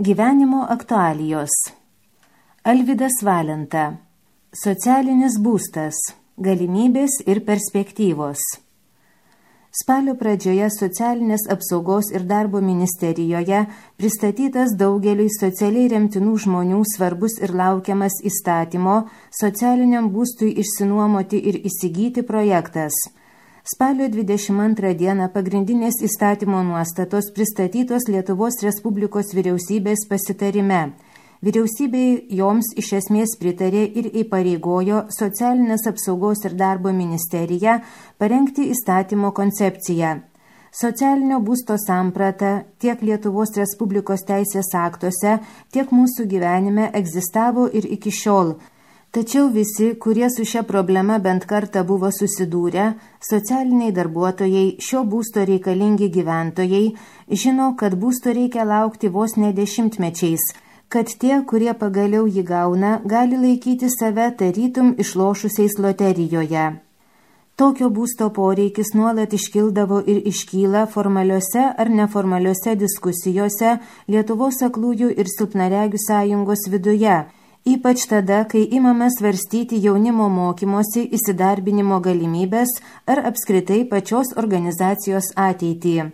Gyvenimo aktualijos. Alvydas Valenta. Socialinis būstas. Galimybės ir perspektyvos. Spalio pradžioje Socialinės apsaugos ir darbo ministerijoje pristatytas daugeliui socialiai remtinų žmonių svarbus ir laukiamas įstatymo socialiniam būstui išsinuomoti ir įsigyti projektas. Spalio 22 dieną pagrindinės įstatymo nuostatos pristatytos Lietuvos Respublikos vyriausybės pasitarime. Vyriausybei joms iš esmės pritarė ir įpareigojo Socialinės apsaugos ir darbo ministeriją parengti įstatymo koncepciją. Socialinio būsto samprata tiek Lietuvos Respublikos teisės aktuose, tiek mūsų gyvenime egzistavo ir iki šiol. Tačiau visi, kurie su šia problema bent kartą buvo susidūrę, socialiniai darbuotojai, šio būsto reikalingi gyventojai, žino, kad būsto reikia laukti vos ne dešimtmečiais, kad tie, kurie pagaliau jį gauna, gali laikyti save tarytum išlošusiais loterijoje. Tokio būsto poreikis nuolat iškildavo ir iškyla formaliuose ar neformaliuose diskusijose Lietuvos aklųjų ir silpnaregių sąjungos viduje, ypač tada, kai imame svarstyti jaunimo mokymosi įsidarbinimo galimybės ar apskritai pačios organizacijos ateitį.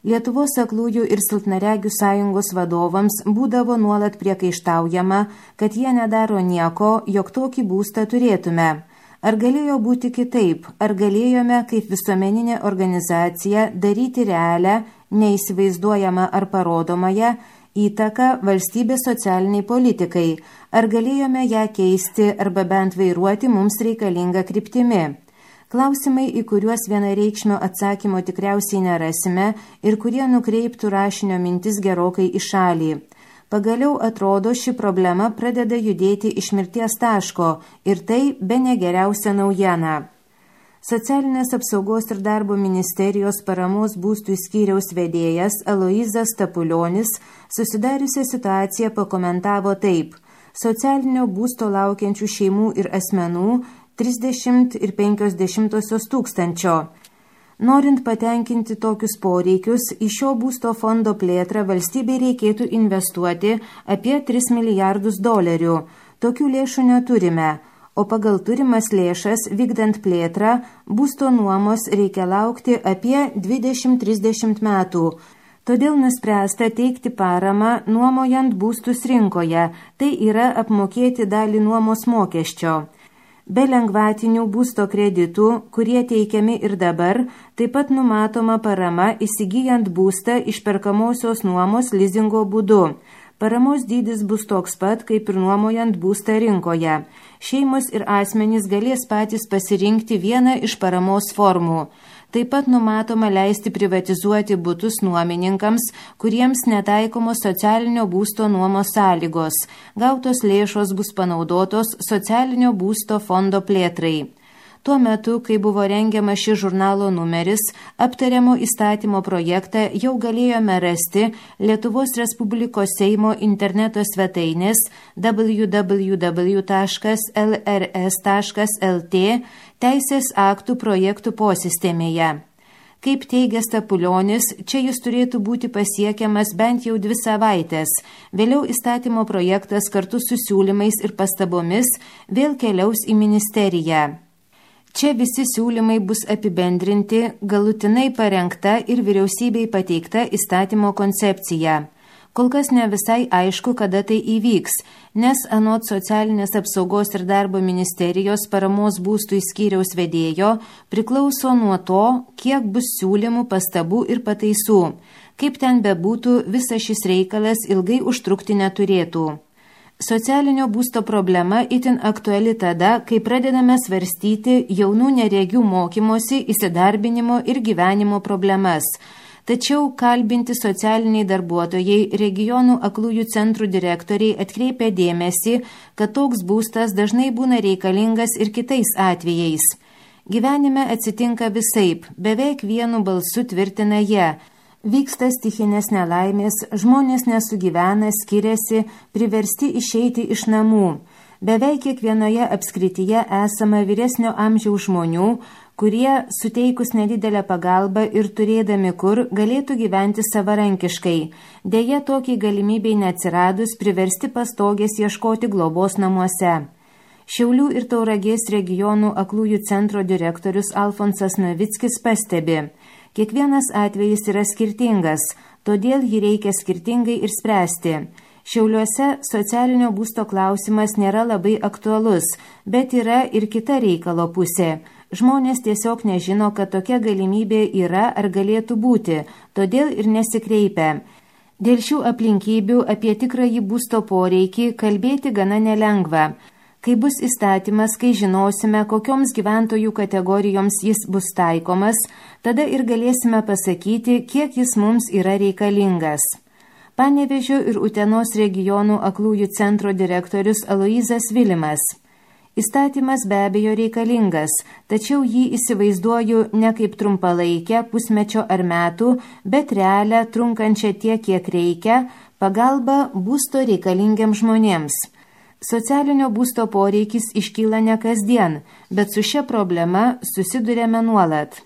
Lietuvos aklųjų ir silpnaregių sąjungos vadovams būdavo nuolat priekaištaujama, kad jie nedaro nieko, jog tokį būstą turėtume. Ar galėjo būti kitaip? Ar galėjome kaip visuomeninė organizacija daryti realią, neįsivaizduojamą ar parodomąją įtaką valstybės socialiniai politikai? Ar galėjome ją keisti arba bent vairuoti mums reikalingą kryptimi? Klausimai, į kuriuos vienareikšmio atsakymo tikriausiai nerasime ir kurie nukreiptų rašinio mintis gerokai į šalį. Pagaliau atrodo, ši problema pradeda judėti iš mirties taško ir tai bene geriausia naujiena. Socialinės apsaugos ir darbo ministerijos paramos būstui skyriaus vedėjas Aloyzas Stapulionis susidariusią situaciją pakomentavo taip: socialinio būsto laukiančių šeimų ir asmenų 30,5 tūkstančio. Norint patenkinti tokius poreikius, į šio būsto fondo plėtrą valstybei reikėtų investuoti apie $3 milijardus. Tokių lėšų neturime, o pagal turimas lėšas vykdant plėtrą būsto nuomos reikia laukti apie 20-30 metų. Todėl nuspręsta teikti paramą nuomojant būstus rinkoje, tai yra apmokėti dalį nuomos mokesčio. Be lengvatinių būsto kreditų, kurie teikiami ir dabar, taip pat numatoma parama įsigyjant būstą išperkamosios nuomos lizingo būdu. Paramos dydis bus toks pat, kaip ir nuomojant būstą rinkoje. Šeimos ir asmenys galės patys pasirinkti vieną iš paramos formų. Taip pat numatoma leisti privatizuoti butus nuomininkams, kuriems netaikomos socialinio būsto nuomos sąlygos. Gautos lėšos bus panaudotos socialinio būsto fondo plėtrai. Tuo metu, kai buvo rengiamas šis žurnalo numeris, aptariamo įstatymo projektą jau galėjome rasti Lietuvos Respublikos Seimo interneto svetainės www.lrs.lt teisės aktų projektų posistemėje. Kaip teigia Stapulionis, čia jis turėtų būti pasiekiamas bent jau 2 savaitės. Vėliau įstatymo projektas kartu su siūlymais ir pastabomis vėl keliaus į ministeriją. Čia visi siūlymai bus apibendrinti, galutinai parengta ir vyriausybei pateikta įstatymo koncepcija. Kol kas ne visai aišku, kada tai įvyks, nes anot Socialinės apsaugos ir darbo ministerijos paramos būstui skyriaus vedėjo priklauso nuo to, kiek bus siūlymų, pastabų ir pataisų. Kaip ten bebūtų, visas šis reikalas ilgai užtrukti neturėtų. Socialinio būsto problema itin aktuali tada, kai pradedame svarstyti jaunų neregių mokymosi, įsidarbinimo ir gyvenimo problemas. Tačiau kalbinti socialiniai darbuotojai, regionų aklųjų centrų direktoriai atkreipia dėmesį, kad toks būstas dažnai būna reikalingas ir kitais atvejais. Gyvenime atsitinka visaip, beveik vienu balsu tvirtina jie. Vyksta stichinės nelaimės, žmonės nesugyvena, skiriasi, priversti išeiti iš namų. Beveik kiekvienoje apskrityje esama vyresnio amžiaus žmonių, kurie, suteikus nedidelę pagalbą ir turėdami kur, galėtų gyventi savarankiškai. Deja, tokiai galimybei neatsiradus priversti pastogės ieškoti globos namuose. Šiaulių ir Tauragės regionų aklųjų centro direktorius Alfonsas Novickis pastebi, kiekvienas atvejis yra skirtingas, todėl jį reikia skirtingai ir spręsti. Šiauliuose socialinio būsto klausimas nėra labai aktualus, bet yra ir kita reikalo pusė. Žmonės tiesiog nežino, kad tokia galimybė yra ar galėtų būti, todėl ir nesikreipia. Dėl šių aplinkybių apie tikrąjį būsto poreikį kalbėti gana nelengva. Kai bus įstatymas, kai žinosime, kokioms gyventojų kategorijoms jis bus taikomas, tada ir galėsime pasakyti, kiek jis mums yra reikalingas. Panevėžio ir Utenos regionų aklųjų centro direktorius Aloyzas Vilimas. Įstatymas be abejo reikalingas, tačiau jį įsivaizduoju ne kaip trumpalaikę, pusmečio ar metų, bet realią, trunkančią tiek, kiek reikia, pagalba būsto reikalingiams žmonėms. Socialinio būsto poreikis iškyla ne kasdien, bet su šia problema susidurėme nuolat.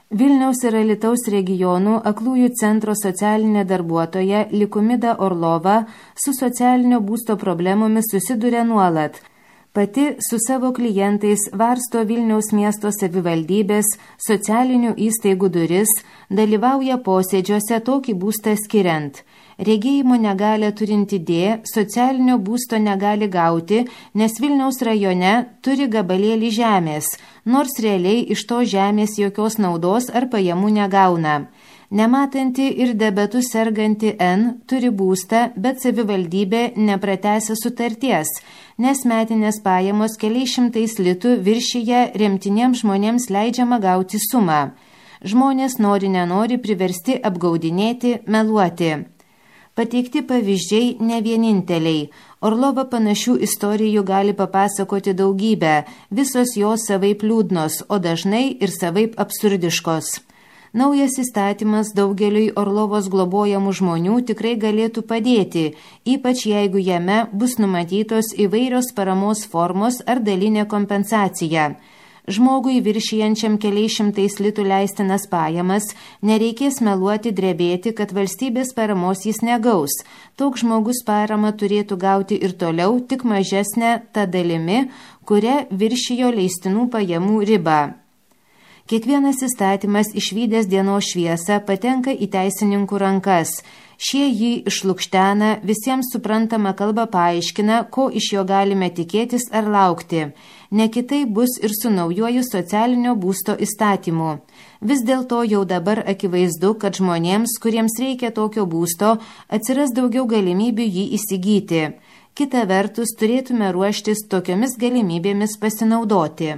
Vilniaus ir Alytaus regionų aklųjų centro socialinė darbuotoja Likumida Orlova su socialinio būsto problemomis susiduria nuolat. Pati su savo klientais varsto Vilniaus miesto savivaldybės socialinių įstaigų duris, dalyvauja posėdžiuose tokį būstą skiriant. Regėjimo negalę turinti D socialinio būsto negali gauti, nes Vilniaus rajone turi gabalėlį žemės, nors realiai iš to žemės jokios naudos ar pajamų negauna. Nematanti ir diabetu serganti N turi būstą, bet savivaldybė nepratęsia sutarties, nes metinės pajamos keliais šimtais litų viršyje remtiniems žmonėms leidžiama gauti sumą. Žmonės nenori priversti apgaudinėti, meluoti. Pateikti pavyzdžiai ne vieninteliai. Orlova panašių istorijų gali papasakoti daugybę, visos jos savaip liūdnos, o dažnai ir savaip absurdiškos. Naujas įstatymas daugeliui Orlovos globojamų žmonių tikrai galėtų padėti, ypač jeigu jame bus numatytos įvairios paramos formos ar dalinė kompensacija. Žmogui viršijančiam keliais šimtais litų leistinas pajamas nereikės meluoti, drebėti, kad valstybės paramos jis negaus. Toks žmogus paramą turėtų gauti ir toliau, tik mažesnė ta dalimi, kuria viršijo leistinų pajamų ribą. Kiekvienas įstatymas išvydęs dienos šviesą patenka į teisininkų rankas. Šie jį išlukštena, visiems suprantama kalba paaiškina, ko iš jo galime tikėtis ar laukti. Ne kitai bus ir su naujuoju socialinio būsto įstatymu. Vis dėlto jau dabar akivaizdu, kad žmonėms, kuriems reikia tokio būsto, atsiras daugiau galimybių jį įsigyti. Kita vertus, turėtume ruoštis tokiomis galimybėmis pasinaudoti.